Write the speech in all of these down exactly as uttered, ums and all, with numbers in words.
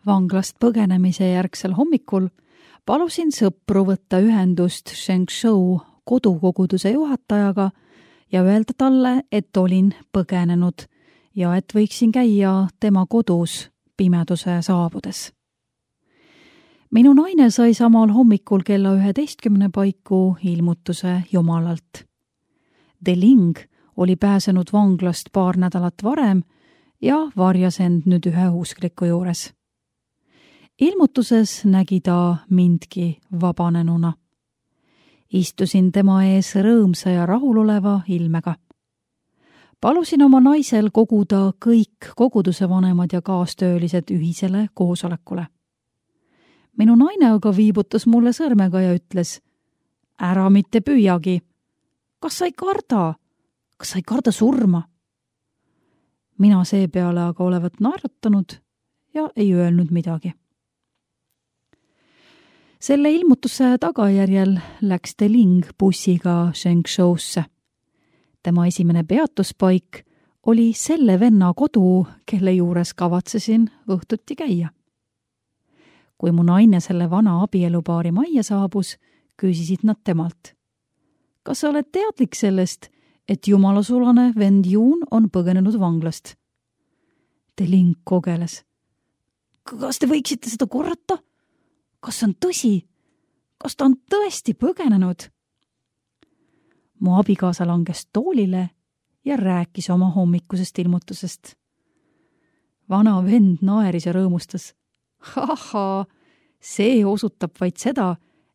Vanglast põgenemise järgsel hommikul palusin sõpru võtta ühendust Shengshou kodukoguduse juhatajaga ja öelda talle, et olin põgenenud ja et võiksin käia tema kodus pimeduse saabudes. Minu naine sai samal hommikul kella üheteistkümne paiku ilmutuse Jumalalt. De Ling oli pääsenud vanglast paar nädalat varem ja varjas end nüüd ühe uskliku juures. Ilmutuses nägi ta mindki vabanenuna. Istusin tema ees rõõmsa ja rahuloleva ilmega. Palusin oma naisel koguda kõik koguduse vanemad ja kaastöölised ühisele koosolekule. Minu naine aga viibutas mulle sõrmega ja ütles, ära mitte püüagi. Kas sa ei karda? Kas sa ei karda surma? Mina seepeale aga olevat naeratanud ja ei öelnud midagi. Selle ilmutuse tagajärjel läks De Ling bussiga Shengshousse. Tema esimene peatuspaik oli selle venna kodu, kelle juures kavatsesin õhtuti käia. Kui mu naine selle vana abielupaari majja saabus, küsisid nad temalt. Kas sa oled teadlik sellest, et jumalasulane vend Juun on põgenenud vanglast? De Ling kogeles. Kas te võiksite seda korrata? Kas on tõsi? Kas ta on tõesti põgenenud? Mu abikaasa langes toolile ja rääkis oma hommikusest ilmutusest. Vana vend naeris ja rõõmustas. Haha, see osutab vaid seda,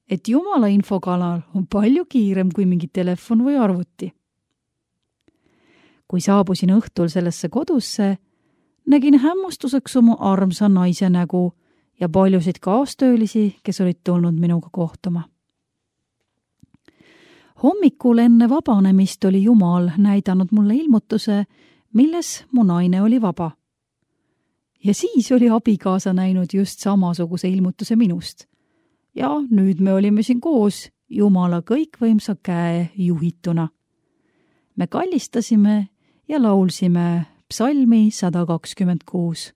et Jumala infokanal on palju kiirem kui mingi telefon või arvuti. Kui saabusin õhtul sellesse kodusse, nägin hämmustuseks oma armsa naise nägu ja paljusid kaastöölisi, kes olid tulnud minuga kohtuma. Hommikul enne vabanemist oli Jumal näidanud mulle ilmutuse, milles mu naine oli vaba. Ja siis oli abikaasa näinud just samasuguse ilmutuse minust. Ja nüüd me olime siin koos Jumala kõikvõimsa käe juhituna. Me kallistasime ja laulsime psalmi sada kakskümmend kuus.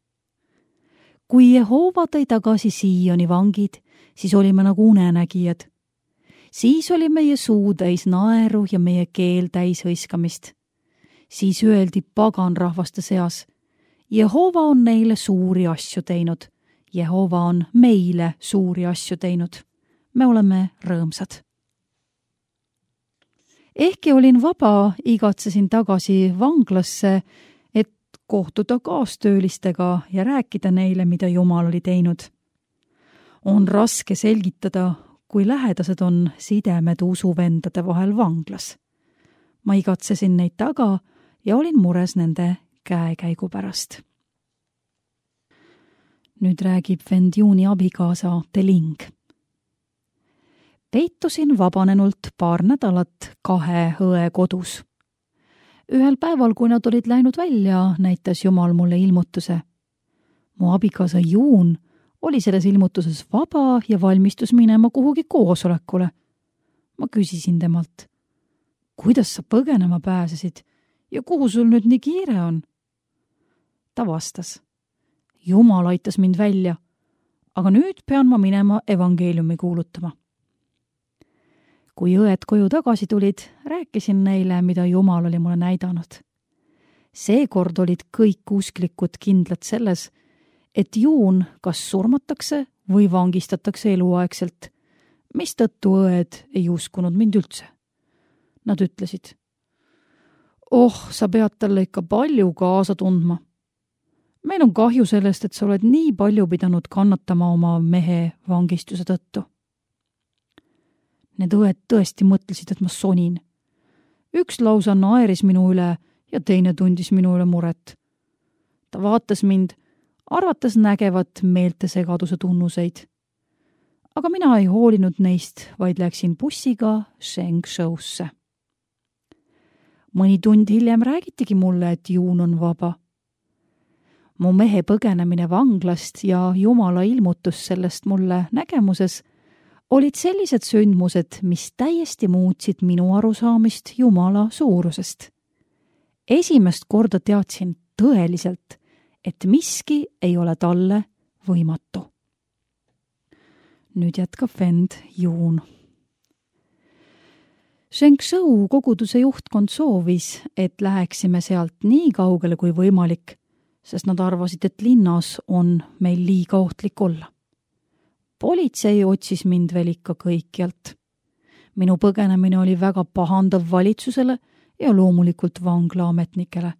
Kui Jehova tõi tagasi Sioni vangid, siis olime nagu unenägijad. Siis oli meie suu täis naeru ja meie keel täis hõiskamist. Siis öeldi pagan rahvaste seas, Jehova on neile suuri asju teinud. Jehova on meile suuri asju teinud. Me oleme rõõmsad. Ehkki olin vaba, igatsesin tagasi vanglasse, et kohtuda kaastöölistega ja rääkida neile, mida Jumal oli teinud. On raske selgitada, kui lähedased on sidemed usuvendade vahel vanglas. Ma igatsesin neid taga ja olin mures nende käekäigu pärast. Nüüd räägib vend Juuni abikaasa De Ling. Peitusin vabanenult paar nädalat kahe õe kodus. Ühel päeval, kui nad olid läinud välja, näitas Jumal mulle ilmutuse. Mu abikaasa Juun oli selles ilmutuses vaba ja valmistus minema kuhugi koosolekule. Ma küsisin temalt, kuidas sa põgenema pääsesid ja kuhu sul nüüd nii kiire on? Ta vastas, Jumal aitas mind välja, aga nüüd pean ma minema evangeeliumi kuulutama. Kui õed koju tagasi tulid, rääkisin neile, mida Jumal oli mulle näidanud. Seekord olid kõik usklikud kindlad selles, et Juun kas surmatakse või vangistatakse eluaegselt, mistõttu õed ei uskunud mind üldse. Nad ütlesid, oh, sa pead talle ikka palju kaasa tundma. Meil on kahju sellest, et sa oled nii palju pidanud kannatama oma mehe vangistuse tõttu. Need õed tõesti mõtlesid, et ma sonin. Üks lausa naeris minu üle ja teine tundis minu üle muret. Ta vaatas mind, arvates nägevat meeltesegaduse tunnuseid. Aga mina ei hoolinud neist, vaid läksin bussiga Shengshousse. Mõni tund hiljem räägitigi mulle, et Juun on vaba. Mu mehe põgenemine vanglast ja Jumala ilmutus sellest mulle nägemuses olid sellised sündmused, mis täiesti muutsid minu arusaamist Jumala suurusest. Esimest korda teadsin tõeliselt, et miski ei ole talle võimatu. Nüüd jätkab vend Juun. Shengshou koguduse juhtkond soovis, et läheksime sealt nii kaugele kui võimalik, sest nad arvasid, et linnas on meil liiga ohtlik olla. Politsei otsis mind veel ikka kõikjalt. Minu põgenemine oli väga pahandav valitsusele ja loomulikult vanglaametnikele.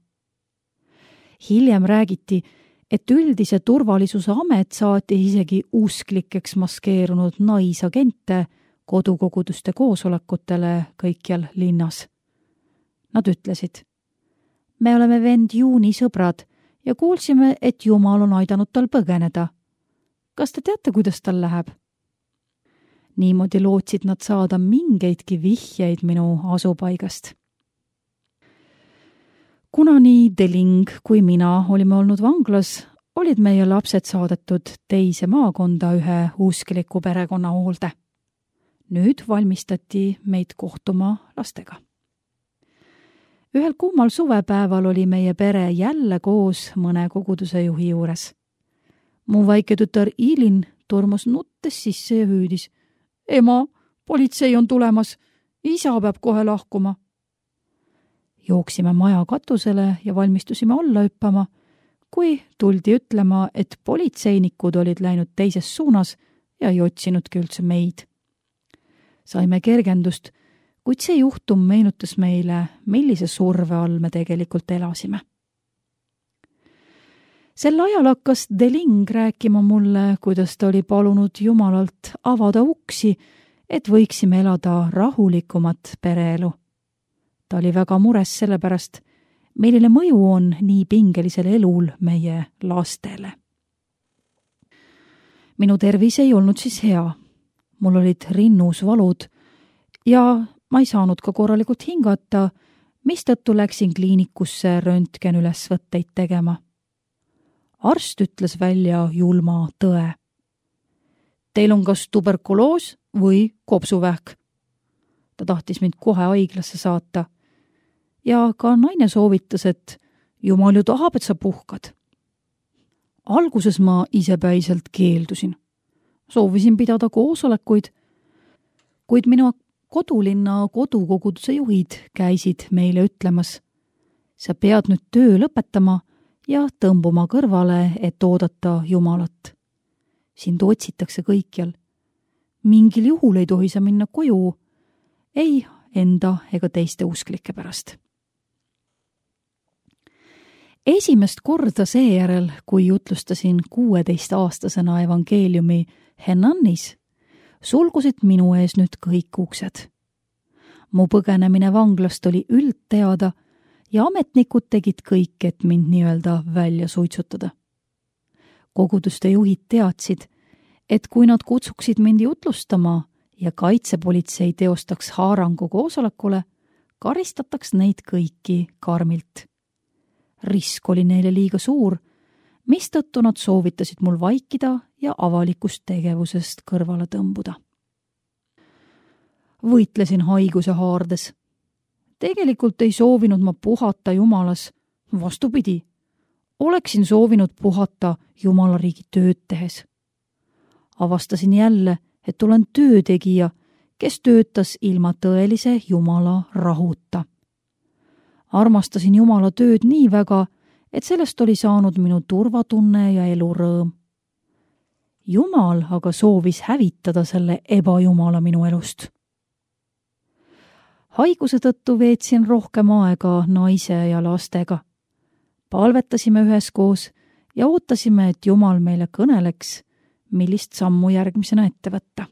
Hiljem räägiti, et üldise turvalisuse amet saatis isegi usklikeks maskeerunud naisagente kodukoguduste koosolekutele kõikjal linnas. Nad ütlesid, me oleme vend Juuni sõbrad ja kuulsime, et Jumal on aidanud tal põgeneda. Kas te teate, kuidas tal läheb? Niimoodi lootsid nad saada mingeidki vihjeid minu asupaigast. Kuna nii Deling kui mina olime olnud vanglas, olid meie lapsed saadetud teise maakonda ühe uskliku perekonna hoolde. Nüüd valmistati meid kohtuma lastega. Ühel kuumal suvepäeval oli meie pere jälle koos mõne koguduse juhi juures. Mu väike tütar Ilin tormas nuttes sisse ja hüüdis. Ema, politsei on tulemas, isa peab kohe lahkuma. Jooksime maja katusele ja valmistusime alla hüppama, kui tuldi ütlema, et politseinikud olid läinud teises suunas ja ei otsinudki üldse meid. Saime kergendust, kuid see juhtum meenutas meile, millise surve all me tegelikult elasime. Sel ajal hakkas Deling rääkima mulle, kuidas ta oli palunud Jumalalt avada uksi, et võiksime elada rahulikumat pereelu. Ta oli väga mures sellepärast, milline mõju on nii pingelisel elul meie lastele. Minu tervis ei olnud siis hea. Mul olid rinnus valud ja ma ei saanud ka korralikult hingata, mistõttu läksin kliinikusse röntgen ülesvõtteid tegema. Arst ütles välja julma tõe. Teil on kas tuberkuloos või kopsuvähk. Ta tahtis mind kohe haiglasse saata ja ka naine soovitas, et Jumal ju tahab, et sa puhkad. Alguses ma isepäiselt keeldusin. Soovisin pidada koosolekuid, kuid minu kodulinna kodukoguduse juhid käisid meile ütlemas, sa pead nüüd töö lõpetama ja tõmbuma kõrvale, et oodata Jumalat. Sind otsitakse kõikjal. Mingil juhul ei tohi sa minna koju, ei enda ega teiste usklike pärast. Esimest korda seejärel, kui jutlustasin kuueteistaastasena evangeeliumi Henannis, sulgusid minu ees nüüd kõik uksed. Mu põgenemine vanglast oli üldteada ja ametnikud tegid kõik, et mind nii-öelda välja suitsutada. Koguduste juhid teadsid, et kui nad kutsuksid mind jutlustama ja kaitsepolitsei teostaks haarangu koosolekule, karistataks neid kõiki karmilt. Risk oli neile liiga suur, mistõttu nad soovitasid mul vaikida ja avalikust tegevusest kõrvale tõmbuda. Võitlesin haiguse haardes. Tegelikult ei soovinud ma puhata Jumalas, vastupidi. Oleksin soovinud puhata Jumala riigi tööd tehes. Avastasin jälle, et olen töötegija, kes töötas ilma tõelise Jumala rahuta. Armastasin Jumala tööd nii väga, et sellest oli saanud minu turvatunne ja elurõõm. Jumal aga soovis hävitada selle ebajumala minu elust. Haiguse tõttu veetsin rohkem aega naise ja lastega. Palvetasime üheskoos ja ootasime, et Jumal meile kõneleks, millist sammu järgmisena ette võtta.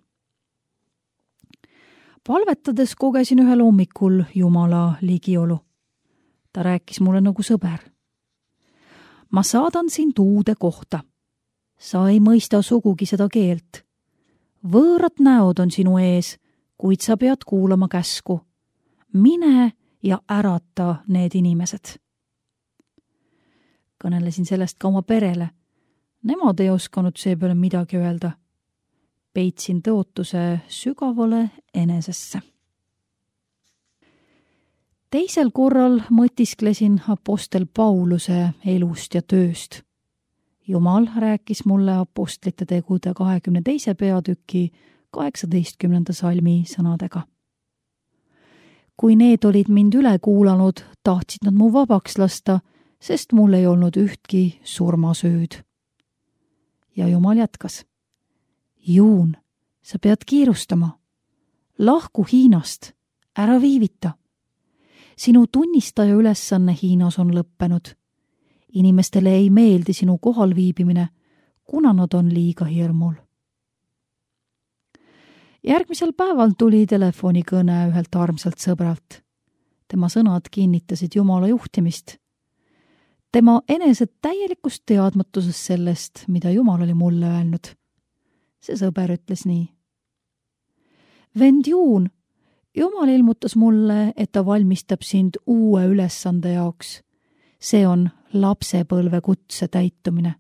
Palvetades kogesin ühel hommikul Jumala ligiolu. Ta rääkis mulle nagu sõber. Ma saadan sind uude kohta. Sa ei mõista sugugi seda keelt. Võõrad näod on sinu ees, kuid sa pead kuulama käsku. Mine ja ärata need inimesed. Kõnelesin sellest ka oma perele. Nemad ei osanud seepeale midagi öelda. Peitsin tõotuse sügavale enesesse. Teisel korral mõtisklesin apostel Pauluse elust ja tööst. Jumal rääkis mulle apostlite tegude kahekümne teise peatüki kaheksateistkümnenda salmi sõnadega. Kui need olid mind üle kuulanud, tahtsid nad mu vabaks lasta, sest mul ei olnud ühtki surmasüüd. Ja Jumal jätkas. Juun, sa pead kiirustama. Lahku Hiinast, ära viivita. Sinu tunnistaja ülesanne Hiinas on lõppenud. Inimestele ei meeldi sinu kohalviibimine, kuna nad on liiga hirmul. Järgmisel päeval tuli telefonikõne ühelt armsalt sõbralt. Tema sõnad kinnitasid Jumala juhtimist. Tema enesed täielikust teadmatusest sellest, mida Jumal oli mulle öelnud. See sõber ütles nii. Vend Juun, Jumal ilmutas mulle, et ta valmistab sind uue ülesande jaoks. See on lapsepõlve kutse täitumine.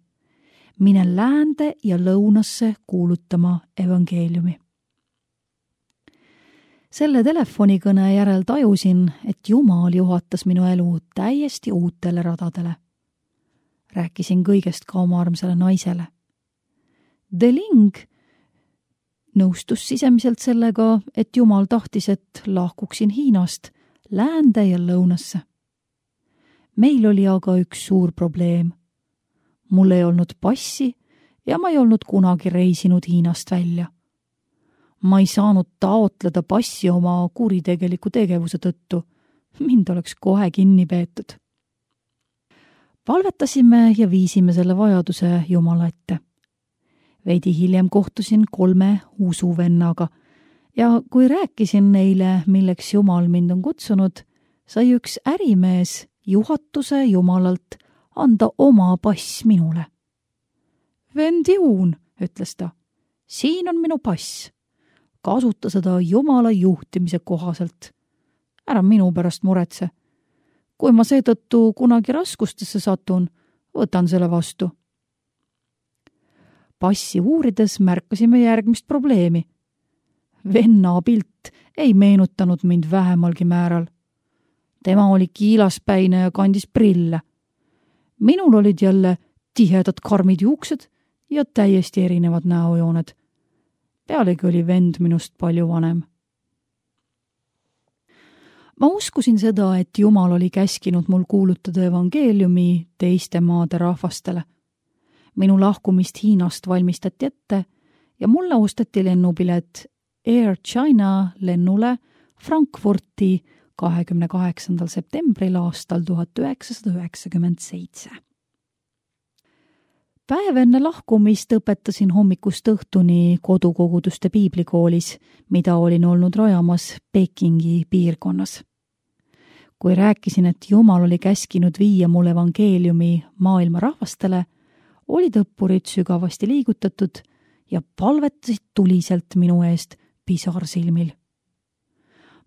Mine läände ja lõunasse kuulutama evangeeliumi. Selle telefonikõne järel tajusin, et Jumal juhatas minu elu täiesti uutele radadele. Rääkisin kõigest ka oma armsale naisele. Deling nõustus sisemiselt sellega, et Jumal tahtis, et lahkuksin Hiinast läände ja lõunasse. Meil oli aga üks suur probleem. Mul ei olnud passi ja ma ei olnud kunagi reisinud Hiinast välja. Ma ei saanud taotleda passi oma kuritegeliku tegevuse tõttu. Mind oleks kohe kinni peetud. Palvetasime ja viisime selle vajaduse Jumala ette. Veidi hiljem kohtusin kolme usuvennaga ja kui rääkisin neile, milleks Jumal mind on kutsunud, sai üks ärimees juhatuse Jumalalt anda oma pass minule. Vend Juun, ütles ta, siin on minu pass. Kasuta seda Jumala juhtimise kohaselt. Ära minu pärast muretse. Kui ma seetõttu kunagi raskustesse satun, võtan selle vastu. Passi uurides märkasime järgmist probleemi. Venna pilt ei meenutanud mind vähemalgi määral. Tema oli kiilaspäine ja kandis prille. Minul olid jälle tihedad karmid juuksed ja täiesti erinevad näojooned. Pealegi oli vend minust palju vanem. Ma uskusin seda, et Jumal oli käskinud mul kuulutada evangeeliumi teiste maade rahvastele. Minu lahkumist Hiinast valmistati ette ja mulle osteti lennupilet Air China lennule Frankfurti kahekümne kaheksandal septembril aastal tuhat üheksasada üheksakümmend seitse. Päev enne lahkumist õpetasin hommikust õhtuni kodukoguduste piiblikoolis, mida olin olnud rajamas Pekingi piirkonnas. Kui rääkisin, et Jumal oli käskinud viia mul evangeeliumi maailma rahvastele, olid õppurid sügavasti liigutatud ja palvetasid tuliselt minu eest pisarsilmil.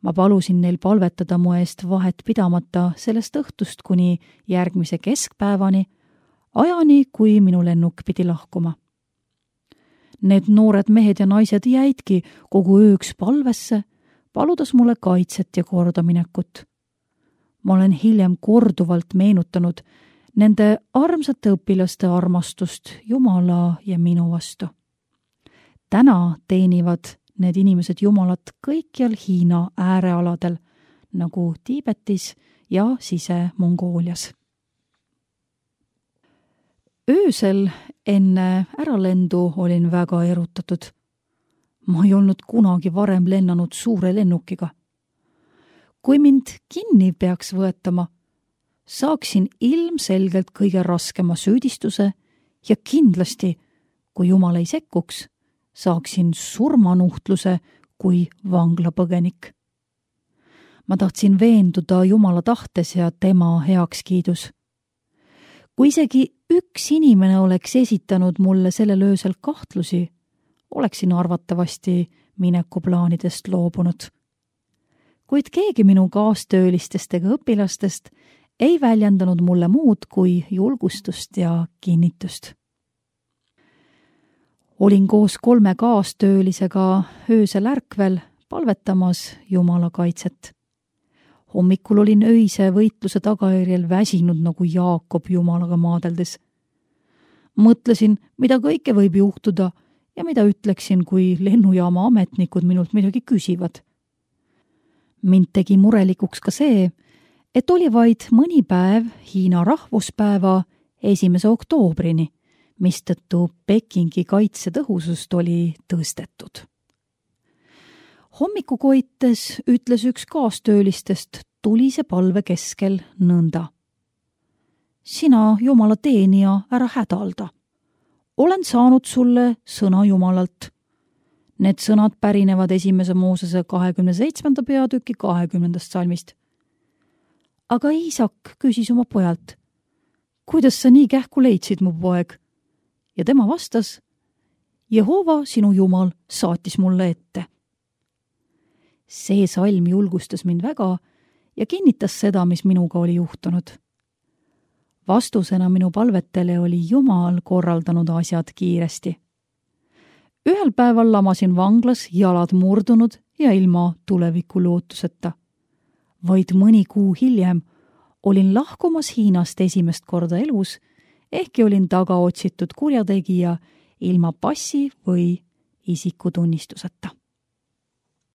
Ma palusin neil palvetada mu eest vahet pidamata sellest õhtust kuni järgmise keskpäevani, ajani, kui minu lennuk pidi lahkuma. Need noored mehed ja naised jäidki kogu ööks palvesse, paludes mulle kaitset ja kordaminekut. Ma olen hiljem korduvalt meenutanud nende armsate õpilaste armastust Jumala ja minu vastu. Täna teenivad need inimesed Jumalat kõikjal Hiina äärealadel, nagu Tiibetis ja Sise-Mongoolias. Öösel enne äralendu olin väga erutatud. Ma ei olnud kunagi varem lennanud suure lennukiga. Kui mind kinni peaks võetama, saaksin ilmselgelt kõige raskema süüdistuse ja kindlasti, kui Jumal ei sekkuks, saaksin surmanuhtluse kui vanglapõgenik. Ma tahtsin veenduda Jumala tahtes ja tema heakskiidus. Kui isegi üks inimene oleks esitanud mulle sellel öösel kahtlusi, oleksin arvatavasti minekuplaanidest loobunud. Kuid keegi minu kaastöölistest ega õpilastest ei väljendanud mulle muud kui julgustust ja kinnitust. Olin koos kolme kaastöölisega öösel ärkvel palvetamas Jumala kaitset. Hommikul olin öise võitluse tagajärjel väsinud nagu Jaakob Jumalaga maadeldes. mõtlesin, mida kõike võib juhtuda ja mida ütleksin, kui lennujaama ametnikud minult midagi küsivad. Mind tegi murelikuks ka see, et oli vaid mõni päev Hiina rahvuspäeva esimese oktoobrini, mistõttu Pekingi kaitsetõhusust oli tõstetud. Hommikukoites ütles üks kaastöölistest tulise palve keskel nõnda. Sina, Jumala teenija, ära hädalda. Olen saanud sulle sõna Jumalalt. Need sõnad pärinevad esimese Moosese kahekümne seitsmenda peatüki kahekümnendast salmist. Aga Iisak küsis oma pojalt, kuidas sa nii kähku leidsid, mu poeg? Ja tema vastas, Jehova, sinu Jumal, saatis mulle ette. See salm julgustas mind väga ja kinnitas seda, mis minuga oli juhtunud. Vastusena minu palvetele oli Jumal korraldanud asjad kiiresti. Ühel päeval lamasin vanglas jalad murdunud ja ilma tuleviku lootuseta. Vaid mõni kuu hiljem olin lahkumas Hiinast esimest korda elus, ehkki olin taga otsitud kurjategija ilma passi või isikutunnistuseta.